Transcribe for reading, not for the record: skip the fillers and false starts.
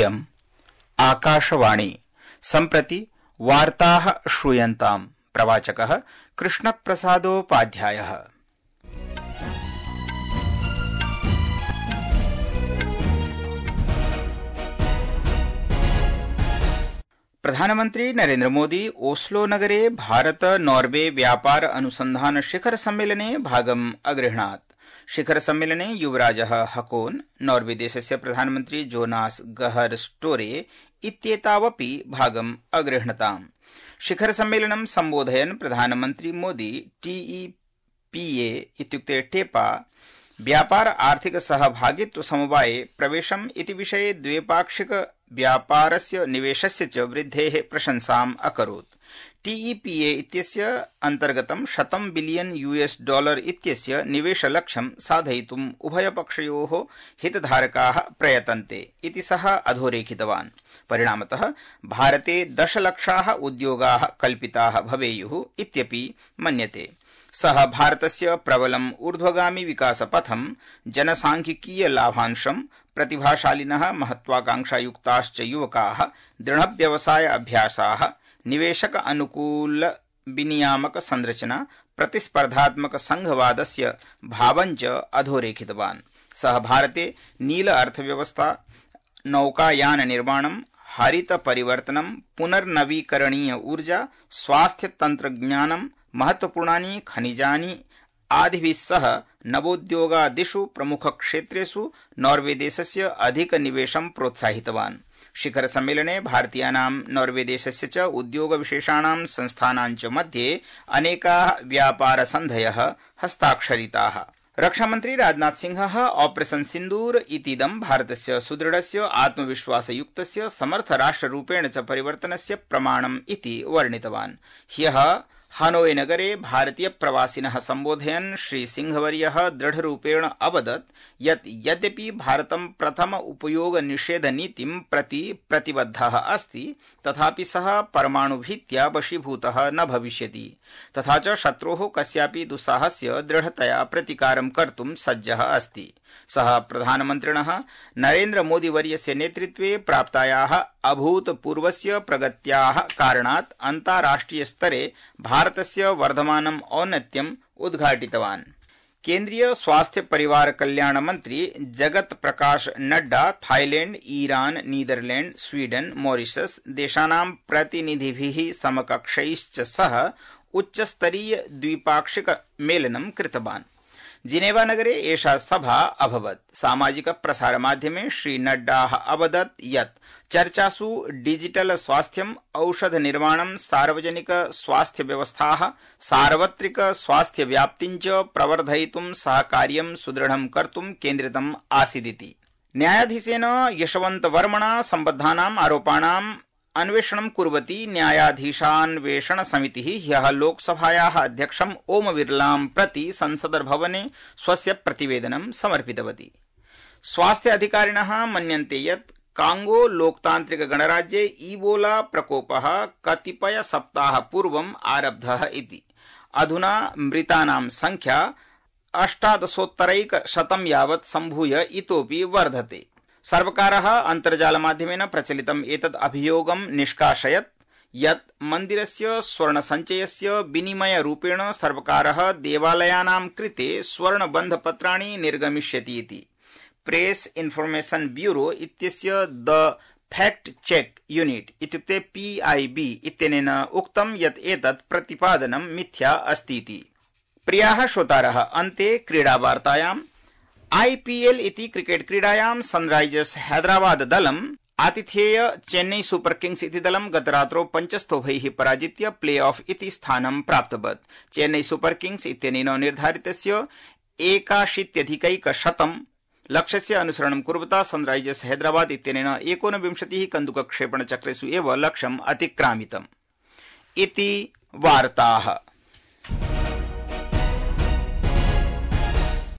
इयम् आकाशवाणी सम्प्रति वार्ताः श्रूयन्ताम्। प्रवाचकः कृष्णप्रसादोपाध्यायः। प्रधानमन्त्री नरेन्द्र मोदी ओस्लो नगरे भारत नॉर्वे व्यापार अनुसंधान शिखर सम्मेलने भागम् अगृह्णात्। शिखर सम्मेलने युवराजः हकोन्, नॉर्वे देशस्य प्रधानमन्त्री जोनास गहर स्टोरे इत्येतावपि भागम् अगृह्णताम्। शिखर सम्मेलनं सम्बोधयन् प्रधानमन्त्री मोदी TEPA इत्युक्ते टेपा व्यापार आर्थिक सहभागित्व समवाये प्रवेशम् इति विषये द्विपाक्षिक व्यापारस्य निवेशस्य च वृद्धेः प्रशंसाम् अकरोत्। TEPA इत्यस्य अन्तर्गतं $100 बिलियन इत्यस्य निवेशलक्ष्यं साधयितुम् उभयपक्षयोः हितधारकाः प्रयतन्ते इति सः अधोरेखितवान्। परिणामतः भारते 10 लक्षाः उद्योगाः कल्पिताः भवेयुः इत्यपि मन्यते। सः भारतस्य प्रबलम् ऊर्ध्वगामी विकासपथं, जनसांख्यिकीय लाभांशं, प्रतिभाशालिनः महत्वाकांक्षायुक्ताश्च युवकाः, दृढव्यवसाय अभ्यासाः, निवेशक अनुकूल विनियामक संरचना, प्रतिस्पर्धात्मक संघवादस्य भावञ्च अधोरेखितवान्। सः भारते नील अर्थव्यवस्था, नौकायान निर्माणं, हरित परिवर्तनं, पुनर्नवीकरणीय ऊर्जा, स्वास्थ्य तंत्रज्ञानं, महत्वपूर्णानि खनिजानि आदिभिः सह नवोद्योगादिषु प्रमुखक्षेत्रेषु नॉर्वे देशस्य अधिकनिवेशं प्रोत्साहितवान्। शिखर सम्मेलने भारतीयानां नॉर्वे देशस्य च उद्योगविशेषाणां संस्थानां च मध्ये अनेकाः व्यापारसन्धयः हस्ताक्षरिताः। रक्षामन्त्री राजनाथ सिंहः ऑपरेशन सिन्दूर इतीदं भारतस्य सुदृढस्य आत्मविश्वासयुक्तस्य समर्थराष्ट्ररूपेण च परिवर्तनस्य प्रमाणम् इति वर्णितवान्। ह्यः हनोई नगरे भारतीय प्रवासिनः सम्बोधयन् श्री सिंहवर्यः दृढरूपेण अवदत् यत् यद्यपि भारतं प्रथम उपयोग निषेध नीतिं प्रति प्रतिबद्धः अस्ति, तथापि सः परमाणुभीत्या वशीभूतः न भविष्यति, तथा च शत्रोः कस्यापि दुस्साहस्य दृढतया प्रतिकारं कर्तुं सज्जः अस्ति। सः प्रधानमन्त्रिणः नरेन्द्र मोदी वर्यस्य नेतृत्वे प्राप्तायाः अभूतपूर्वस्य प्रगत्याः कारणात् अन्ताराष्ट्रिय स्तरे भारतस्य वर्धमानम् औन्नत्यम् उद्घाटितवान्। केन्द्रीय स्वास्थ्य परिवार कल्याण मंत्री Jagat Prakash Nadda Thailand, Iran, Netherland, Sweden, Mauritius देशानां प्रतिनिधिभिः समकक्षैश्च सह उच्चस्तरीय द्विपाक्षिक मेलनं कृतवान्। जिनेवा नगरे एषा सभा अभवत्। सामाजिक प्रसार माध्यमे श्री नड्डाः अवदत् यत् चर्चासु डिजिटल स्वास्थ्यम्, औषध निर्माणं, सार्वजनिक स्वास्थ्य व्यवस्थाः, सार्वत्रिक स्वास्थ्य व्याप्तिं च प्रवर्धयितुं सहकार्यं सुदृढं कर्तुं केन्द्रितम् आसीदिति। न्यायाधीशेन यशवन्त वर्मणा सम्बद्धानाम् आरोपाणाम् अन्वेषणं कुर्वती न्यायाधीशान्वेषण समितिः ह्यः लोकसभायाः अध्यक्षम् ओम बिरलां प्रति संसदर्भवने स्वस्य प्रतिवेदनं समर्पितवती। स्वास्थ्य अधिकारिणः मन्यन्ते यत् कांगो लोकतान्त्रिक गणराज्ये ईबोला प्रकोपः कतिपय सप्ताह पूर्वम् आरब्धः इति। अधुना मृतानां संख्या 1800 यावत् सम्भूय इतोपि वर्धते। सर्वकारः अन्तर्जालमाध्यमेन प्रचलितम् एतद् अभियोगं निष्कासयत् यत् मन्दिरस्य स्वर्णसञ्चयस्य विनिमयरूपेण सर्वकारः देवालयानां कृते स्वर्णबन्धपत्राणि निर्गमिष्यति इति। प्रेस इन्फॉर्मेशन ब्यूरो इत्यस्य द फैक्ट चेक यूनिट इत्युक्ते PIB इत्यनेन उक्तं यत् एतत् प्रतिपादनं मिथ्या अस्ति इति। प्रियाः श्रोतारः, अन्ते क्रीडावार्तायाम्। IPL इति क्रिकेट क्रीडायां सनराइजर्स हैदराबाद दलम् आतिथेय चेन्नई सुपर किंग्स इति दलं गतरात्रौ 5 स्तोभैः पराजित्य प्ले ऑफ इति स्थानं प्राप्तवत्। चेन्नई सुपर किंग्स इत्यनेन निर्धारितस्य 81 लक्ष्यस्य अनुसरणं कुर्वता सनराइजर्स हैदराबाद इत्यनेन 29 कन्दुकक्षेपणचक्रेषु एव लक्ष्यम् अतिक्रामितम् इति वार्ताः।